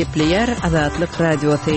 Gepleýär Azatlyk Radiosy.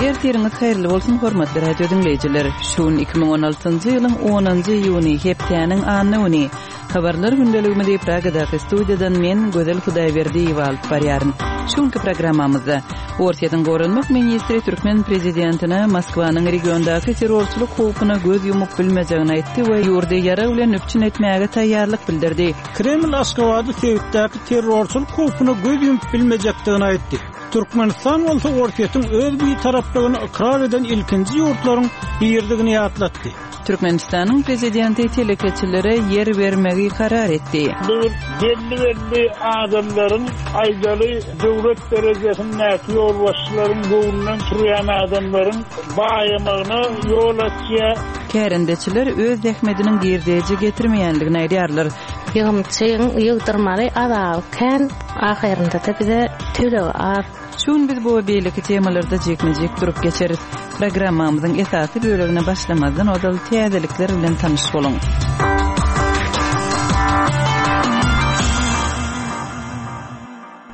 Ertiriňiz haýyrly bolsun, hormatly radio diňleýjiler! Şu gün 2016-njy ýylyň onunjy iýuny, hepdäniň anna güni. Habarlar gündeligimizi Pragadaky studiýadan men, Gözel Hudaýberdiýewa alyp barýaryn. Şu günki programmamyzda Orsýetiň goranmak ministri türkmen prezidentine Moskwanyň regiondaky terrorçylyk howpuna göz ýumup bilmejegini aýtdy we ýurdy ýarag bilen üpjün etmäge taýýarlyk bildirdi. Kreml Aşgabady sebitdäki terrorçylyk howpuna göz ýumup bilmejekdigini aýtdy. Türkmenistan bolsa Orsýetiň öz bitaraplygyny ykrar eden ilkinji ýurtlaryň biridigini ýatlatdy. Türkmenistanyň Prezidenti telekeçilere ýer bermegi karar etdi. Bu belli-belli adamlaryň, aýdaly, döwlet derejesindäki ýolbaşçylaryň göwnünden turýan adamlaryň baýamagyna ýol açýar. Kärendeçiler öz zähmediniň girdeji getirmeýändigini aýdýarlar. Ýygymçyň ýygdyrmaly azaby kän, ahyrynda-da bize tölegi az. Şu gün biz bu we beýleki temalarda jikme-jik durup geçeris. Programmamyzyň esasy bölegine başlamazdan ozal täzelikler bilen tanyş boluň.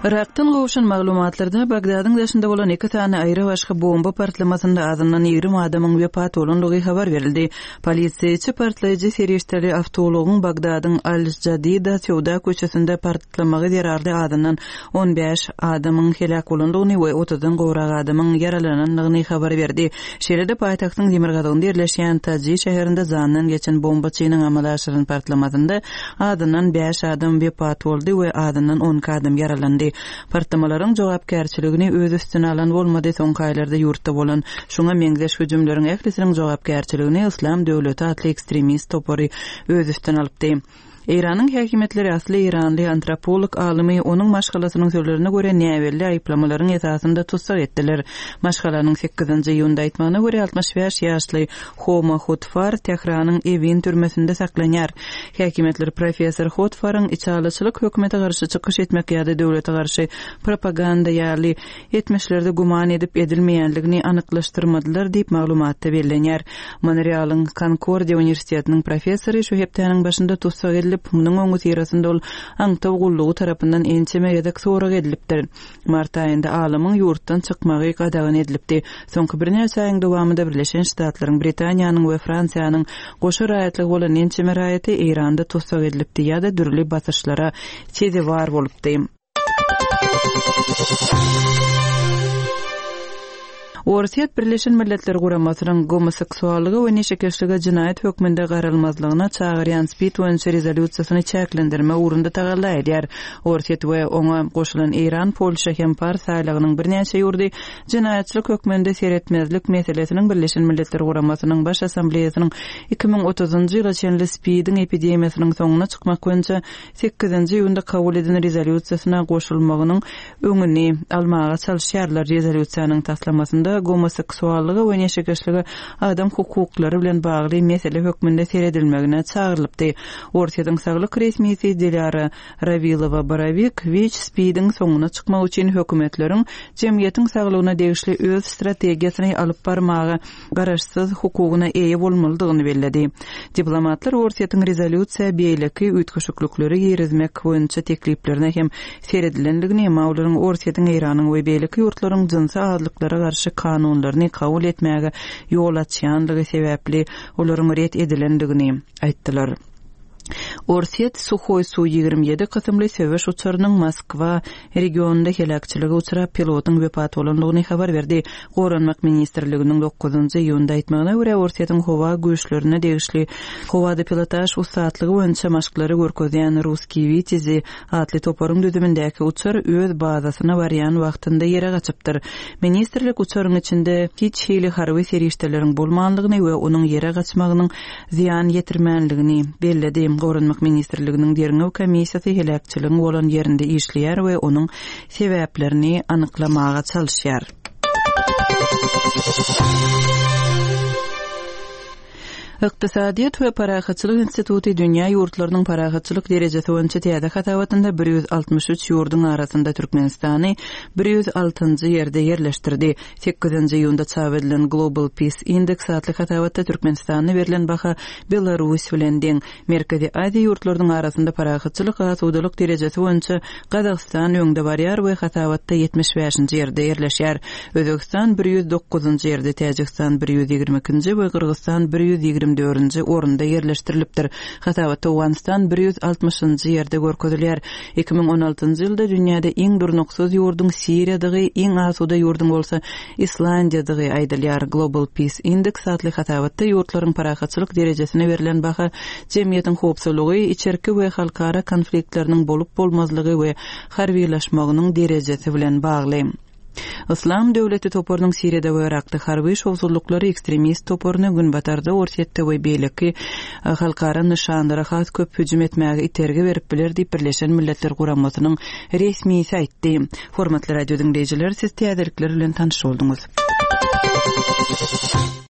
Yrakdan gowşan maglumatlarda Bagdadyň daşynda bolan iki sany aýry-başga bomba partlamasynda azyndan 20 adamyň wepat bolandygy habar berildi. Polisiýaçy partlaýjy serişdeli awtoulagyň Bagdadyň Al-Jadida söwda köçesinde partlamagy zerarly azyndan 15 adamyň heläk bolandygyny we otuzdan gowrak adamyň ýaralanandygyny habar berdi. Şeýle-de paýtagtyň demirgazygynda ýerleşýän Taji şäherinde jandan geçen bombaçynyň amala aşyran partlamasynda azyndan bäş adam wepat boldy we azyndan 12 adam ýaralandy. Partlamalaryň jogapkärçiligini öz üstüne alan bolmady, soňky aýlarda ýurtda bolan şuňa meňzeş hüjümleriň ählisiniň jogapkärçiligini Yslam döwleti atly ekstremist topary öz üstüne alypdy. Eýranyň häkimiýetleri asly eýranly antropolog alymy onuň maşgalasynyň sözlerine görä näbelli aýyplamalaryň esasynda tussag etdiler. Maşgalanyň sekizinji iýunda aýtmagyna görä, 65 ýaşly Homa Hotfar Tähranyň Ewin türmesinde saklanýar. Häkimiýetler professor Hotfaryň içalyçylyk, hökümete garşy çykyş etmek ýa-da döwlete garşy propaganda ýaly etmişlerde güman edip edilmeýänligini anyklaşdyrmadylar diýip, maglumatda bellenýär. Monrealyň Konkordiýa uniwersitetiniň professory şu hepdäniň başynda tussag edilip, munuň öňüsyrasynda ol aňtaw gullugy tarapyndan ençeme gezek sorag edilipdir. Mart aýynda alymyň ýurtdan çykmagy gadagan edilipdi. Soňky birnäçe aýyň dowamynda Birleşen Ştatlaryň, Britaniýanyň we Fransiýanyň goşa raýatlygy bolan ençeme raýaty Eýranda tussag edilipdi ýa-da dürli basyşlara sezewar bolupdy. Orsýet Birleşen Milletler Guramasynyň gomoseksuallyga we neşekeşlige jenaýat hökmünde garalmazlygyna çagyrýan spid boýunça rezolýusiýasyny çäklendirmek ugrunda tagalla edýär. Orsýet we oňa goşulan Eýran, Polşa hem Pars aýlagynyň birnäçe ýurdy jenaýatçylyk hökmünde seretmezlik meselesiniň Birleşen Milletler Guramasynyň Baş Assambleýasynyň 2030-njy ýyla çenli SPID-iň epidemiýasynyň soňuna çykmak boýunça sekizinji iýunda kabul eden rezolýusiýasyna goşulmagynyň öňüni almaga çalyşýarlar. Rezolýusiýanyň taslamasynda gomoseksuallyga we neşekeşlige adam hukuklary bilen bagly mesele hökmünde seredilmegine çagyrylypdy. Orsýetiň saglyk resmisi Dilýara Rawilowa-Borowik WIÇ-SPID-iň soňuna çykmak üçin hökümetleriň jemgyýetiň saglygyna degişli öz strategiýasyny alyp barmaga garaşsyz hukugyna eýe bolmalydygyny belledi. Diplomatlar Orsýetiň rezolýusiýa beýleki üýtgeşiklikleri girizmek boýunça tekliplerine hem seredilendigini, emma olaryň Orsýetiň, Eýranyň we beýleki ýurtlaryň jynsy azlyklara garşy kanunlaryny kabul etmäge ýol açýanlygy sebäpli olaryň ret edilendigini aýtdylar. Orsýet Suhoý Su-27 kysymly söweş uçarynyň Moskwa regionynda heläkçilige uçrap, pilotyň wepat bolandygyny habar berdi. Goranmak ministrliginiň dokuzynjy iýunda aýtmagyna görä, Orsýetiň howa güýçlerine degişli howada pilotaž ussatlygy boýunça maşklary görkezýän Russkiý Witýazi atly toparyň düzümindäki uçar öz bazasyna barýan wagtynda ýere gaçypdyr. Ministrlik uçaryň içinde hiç hili harby serişdeleriň bolmanlygyny we onuň ýere gaçmagynyň zyýan ýetirmänligini belledi. Goranmak ministrliginiň derňew komissiýasy heläkçiligiň bolan ýerinde işleýär we onuň sebäplerini anyklamaga çalyşýar. Ykdysadyýet we parahatçylyk instituty dünýä ýurtlarynyň parahatçylyk derejesi boýunça täze hasabatynda 163 ýurduň arasynda Türkmenistany 106-njy ýerde ýerleşdirdi. Sekizinji iýunda çap edilen Global Peace Index atly hasabatda Türkmenistana berlen baha Belarus bilen deň. Merkezi Aziýa ýurtlarynyň arasynda parahatçylyk, asudalyk derejesi boýunça Gazagystan öňde barýar we hasabatda 75-nji ýerde ýerleşýär. Özbegistan 109-njy ýerde, Täjigistan 122-nji we Gyrgyzystan 124-nji orunda ýerleşdirilipdir. Hasabatda Owganystan 160-njy ýerde görkezilýär. 2016-njy ýylda dünýäde iň durnuksyz ýurduň Siriýadygy, iň asuda ýurduň bolsa Islandiýadygy aýdylýar. Global Peace Index atly hasabatda ýurtlaryň parahatçylyk derejesine berlen baha jemgyýetiň howpsuzlygy, içerki we halkara konfliktleriniň bolup-bolmazlygy we harbylaşmagynyň derejesi bilen bagly. Yslam döwleti toparynyň Siriýada we Yrakda harby şowsuzlyklary ekstremist toparyny Günbatarda, Orsýetde we beýleki halkara nyşanlara has köp hüjüm etmäge itergi berip biler diýip, Birleşen Milletler Guramasynyň resmisi aýtdy. Hormatly radio diňleýjiler, siz täzelikler bilen tanyş bolduňyz.